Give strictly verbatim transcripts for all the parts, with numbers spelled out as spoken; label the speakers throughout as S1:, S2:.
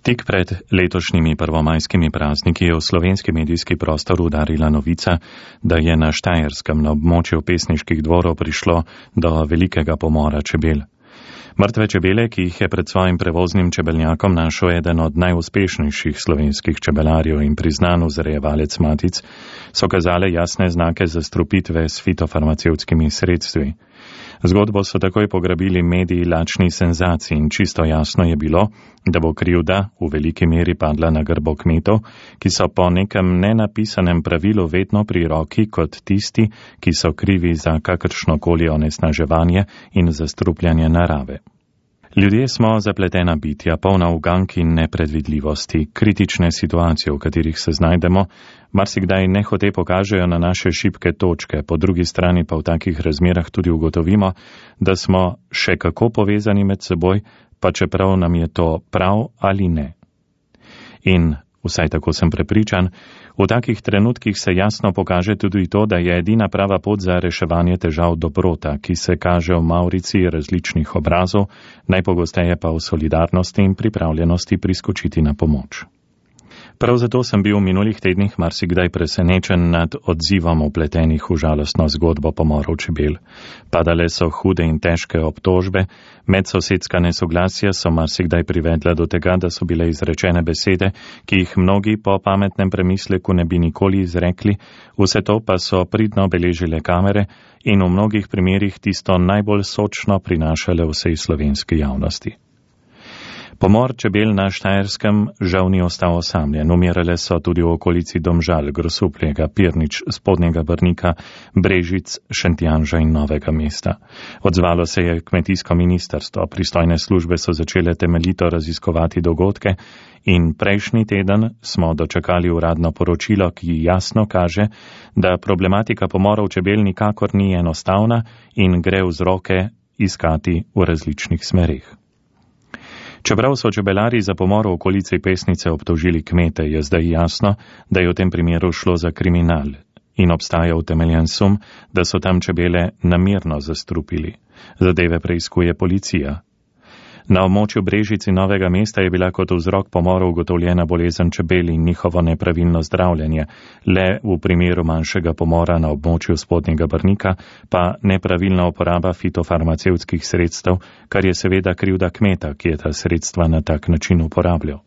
S1: Tik pred letošnjimi prvomajskimi prazniki je v slovenski medijski prostor udarila novica, da je na Štajerskem na območju pesniških dvorov prišlo do velikega pomora čebel. Mrtve čebele, ki jih je pred svojim prevoznim čebelnjakom našel eden od najuspešnejših slovenskih čebelarjev in priznan vzrejevalec matic, so kazale jasne znake zastrupitve s fitofarmacevtskimi sredstvi. Zgodbo so takoj pograbili mediji lačni senzaciji in čisto jasno je bilo, da bo krivda v veliki meri padla na grbo kmetov, ki so po nekem nenapisanem pravilu vedno pri roki kot tisti, ki so krivi za kakršnokoli onesnaževanje in zastrupljanje narave. Ljudje smo zapletena bitja, polna ugank in nepredvidljivosti, kritične situacije, v katerih se znajdemo, marsikdaj nehote pokažejo na naše šibke točke, po drugi strani pa v takih razmerah tudi ugotovimo, da smo še kako povezani med seboj, pa čeprav nam je to prav ali ne. In, vsaj tako sem prepričan, v takih trenutkih se jasno pokaže tudi to, da je edina prava pot za reševanje težav dobrota, ki se kaže v maurici različnih obrazov, najpogosteje pa v solidarnosti in pripravljenosti priskočiti na pomoč. Prav zato sem bil v minulih tednih marsikdaj presenečen nad odzivom vpletenih v žalostno zgodbo pomorov čebel. Padale so hude in težke obtožbe, medsosedska nesoglasja so marsikdaj privedla do tega, da so bile izrečene besede, ki jih mnogi po pametnem premisleku ne bi nikoli izrekli, vse to pa so pridno beležile kamere in v mnogih primerih tisto najbolj sočno prinašale vsej slovenski javnosti. Pomor čebel na Štajerskem žal ni ostal osamljen. Umirale so tudi v okolici Domžal, Grosupljega, Pirnič, Spodnjega Brnika, Brežic, Šentjanža in Novega mesta. Odzvalo se je kmetijsko ministrstvo, pristojne službe so začele temeljito raziskovati dogodke in prejšnji teden smo dočakali uradno poročilo, ki jasno kaže, da problematika pomorov čebel nikakor ni enostavna in gre vzroke iskati v različnih smerih. Čeprav so čebelari za pomor v okolici Pesnice obtožili kmete, je zdaj jasno, da je v tem primeru šlo za kriminal in obstaja utemeljen sum, da so tam čebele namerno zastrupili. Zadeve preiskuje policija. Na območju Brežic in Novega mesta je bila kot vzrok pomora ugotovljena bolezen čebel in njihovo nepravilno zdravljenje, le v primeru manjšega pomora na območju Spodnjega Brnika pa nepravilna uporaba fitofarmacevtskih sredstev, kar je seveda krivda kmeta, ki je ta sredstva na tak način uporabljal.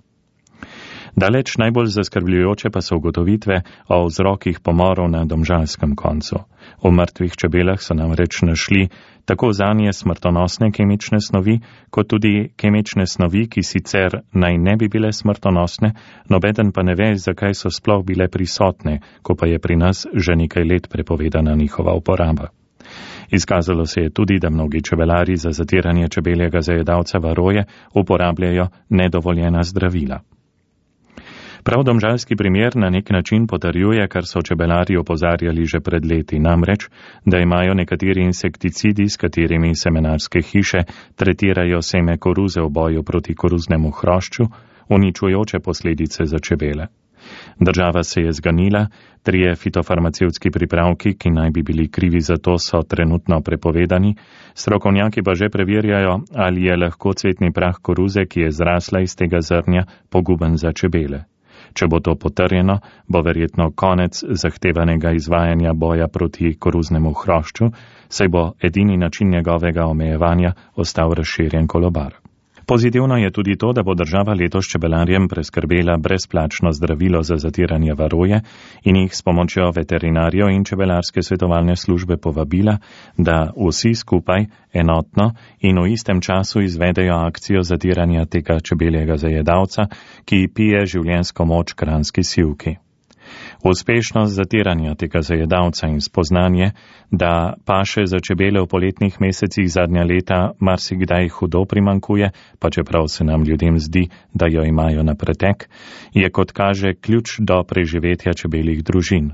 S1: Daleč najbolj zaskrbljujoče pa so ugotovitve o vzrokih pomorov na domžalskem koncu. V mrtvih čebelah so namreč našli tako zanje smrtonosne kemične snovi, kot tudi kemične snovi, ki sicer naj ne bi bile smrtonosne, nobeden pa ne ve, zakaj so sploh bile prisotne, ko pa je pri nas že nekaj let prepovedana njihova uporaba. Izkazalo se je tudi, da mnogi čebelari za zatiranje čebeljega zajedavca varoje uporabljajo nedovoljena zdravila. Prav domžalski primer na nek način potrjuje, kar so čebelari opozarjali že pred leti, namreč, da imajo nekateri insekticidi, s katerimi semenarske hiše tretirajo seme koruze v boju proti koruznemu hrošču, uničujoče posledice za čebele. Država se je zganila, trije fitofarmacevtski pripravki, ki naj bi bili krivi za to, so trenutno prepovedani, strokovnjaki pa že preverjajo, ali je lahko cvetni prah koruze, ki je zrasla iz tega zrnja, poguben za čebele. Če bo to potrjeno, bo verjetno konec zahtevanega izvajanja boja proti koruznemu hrošču, saj bo edini način njegovega omejevanja ostal razširjen kolobar. Pozitivno je tudi to, da bo država letos čebelarjem preskrbela brezplačno zdravilo za zatiranje varoje in jih s pomočjo veterinarjev in čebelarske svetovalne službe povabila, da vsi skupaj, enotno in v istem času izvedejo akcijo zatiranja tega čebeljega zajedavca, ki pije življenjsko moč kranjski sivki. Uspešnost zatiranja tega zajedavca in spoznanje, da paše za čebele v poletnih mesecih zadnja leta marsikdaj hudo primankuje, pa čeprav se nam ljudem zdi, da jo imajo na pretek, je kot kaže ključ do preživetja čebeljih družin.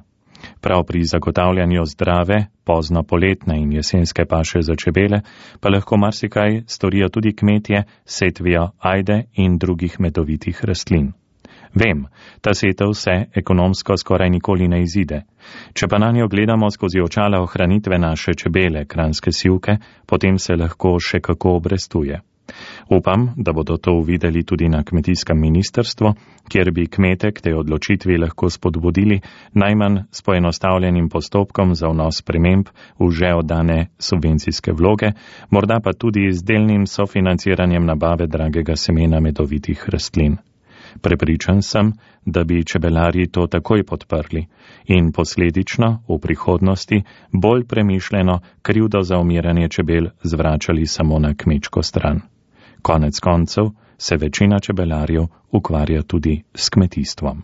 S1: Prav pri zagotavljanju zdrave, pozno poletne in jesenske paše za čebele pa lahko marsikaj storijo tudi kmetje, setvijo ajde in drugih medovitih rastlin. Vem, ta setev se ekonomsko skoraj nikoli ne izide. Če pa na njo gledamo skozi očala ohranitve naše čebele, kranjske sivke, potem se lahko še kako obrestuje. Upam, da bodo to uvideli tudi na kmetijskem ministrstvu, kjer bi kmete k tej odločitvi lahko spodbudili najmanj s poenostavljenim postopkom za vnos sprememb v že oddane subvencijske vloge, morda pa tudi z delnim sofinanciranjem nabave dragega semena medovitih rastlin. Prepričan sem, da bi čebelarji to takoj podprli in posledično v prihodnosti bolj premišljeno krivdo za umiranje čebel zvračali samo na kmečko stran. Konec koncev se večina čebelarjev ukvarja tudi s kmetijstvom.